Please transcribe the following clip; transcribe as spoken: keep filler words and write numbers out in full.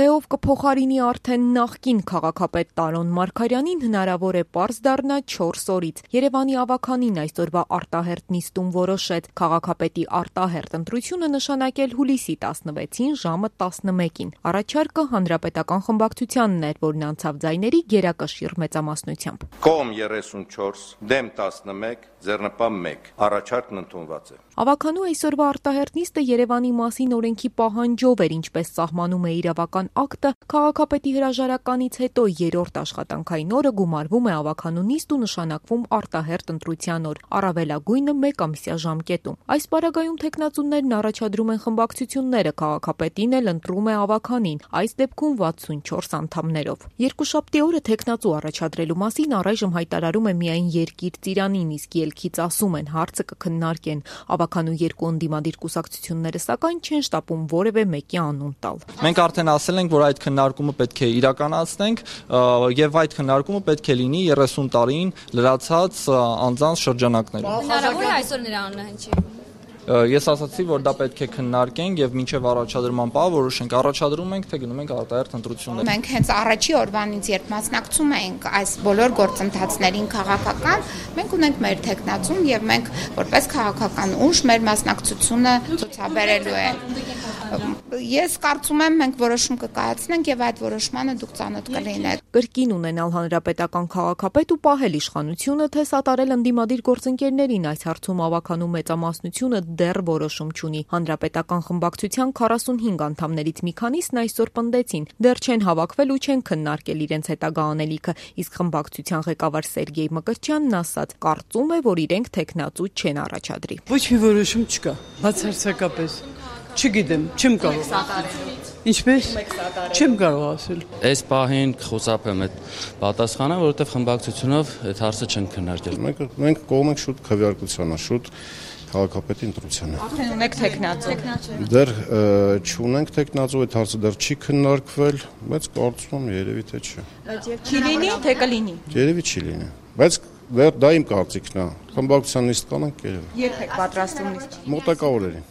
Թե ով կփոխարինի արդեն նախկին քաղաքապետ Տարոն Մարգարյանին հնարավոր է պարզ դառնա չորս օրից։ Երևանի ավականին այսօրվա արտահերթ նիստում որոշեց քաղաքապետի արտահերթ ընտրությունը նշանակել հուլիսի տասնվեցին ժամը տասնմեկին։ Առաջարկը հանրապետական խմբակցությանն էր, որն անցավ ձայների գերակշիռ մեծամասնությամբ։ Կողմ երեսունչորս, դեմ տասնմեկ, ձեռնպահ մեկ։ Առաջարկն ընդունված է։ Ավականու այսօրվա արտահերթ նիստը Երևանի մասին օրենքի պահանջով էր, ինչպես սահմանում է իրավական ակտը, քաղաքապետի հրաժարականից հետո երրորդ աշխատանքային օրը գումարվում է ավականու նիստ ու նշանակվում արտահերթ ընտրության օր, առավելագույնը մեկ ամսյա ժամկետում։ Այս պարագայում թեկնածուներն առաջադրում են խմբակցությունները, քաղաքապետին էլ ընտրում է ավականին, այս դեպքում վաթսունչորս անդամներով։ Երկուշաբթի օրը թեկնածու առաջադրելու մասին առայժմ հայտարարում է միայն Երկիր Ծիրանին, իսկ ելքից ասում են հարցը կքննարկեն։ Ավականու երկու ընդդիմադիր կուսակցությունները սակայն չեն շտապում որևէ մեկի անուն տալ։ Մենք արդեն ասել ենք, որ այդ քննարկումը պետք է իրականացնենք եւ այդ քննարկումը պետք է լինի երեսուն տարին լրացած անձանց շրջանակներում։ Հնարավոր է այսօր նրա անունը հնչի։ Ես ասացի, որ դա պետք է քննարկենք եւ մինչեւ առաջադրման պահ որոշենք, առաջադրում ենք, թե գնում ենք արտահերթ ընտրություններ։ Մենք հենց առաջի օրվանից երբ մասնակցում ենք այս բոլոր գործընթացներին քաղաքական, մենք ունենք մեր թեկնածուն եւ մենք որպես քաղաքական ուժ մեր մասնակցությունը ցուցաբերելու է։ Ես կարծում եմ մենք որոշում կկայացնենք եւ այդ որոշմանը դուք ծանոթ կլինեք։ Կրկին ունենալ հանրապետական քաղաքապետ ու պահել իշխանությունը, թե սատարել ընդդիմադիր գործընկերներին այս հարցում ավականու մեծամասնությունը դեռ որոշում չունի։ Հանրապետական խմբակցության քառասունհինգ անդամներից մի քանիսն այսօր պնդեցին, դեռ չեն հավաքվել ու չեն քննարկել իրենց հետագա անելիքը, իսկ խմբակցության ղեկավար Սերգեյ Մկրտչյանն ասաց, կարծում է, որ իրենք թեկնածու չեն առաջադրի։ Ոչ մի որոշում չկա, բացարձակապես։ Չգիտեմ, չեմ կարող։ Ինչպես։ Չեմ կարող ասել։ Այս պահին խուսափեմ այդ պատասխանը, որովհետև խմբակցությունով այդ հարցը չեն քննարկել։ Մենք մենք կողմ ենք շուտ քվեարկությանը, շուտ քաղաքապետի ընտրությանը։ Արդեն ունեք թեկնածու։ Դեռ չունենք թեկնածու, այդ հարցը դեռ չի քննարկվել, բայց կարծում եմ երևի թե չէ։ Չի լինի, թե կլինի։ Երևի չի լինի, բայց դեռ դա իմ կարծիքն է։ Խմբակցության նիստ կանենք երևի։ Երբ եք պատրաստվում նիստ։ Մոտակա օրերին։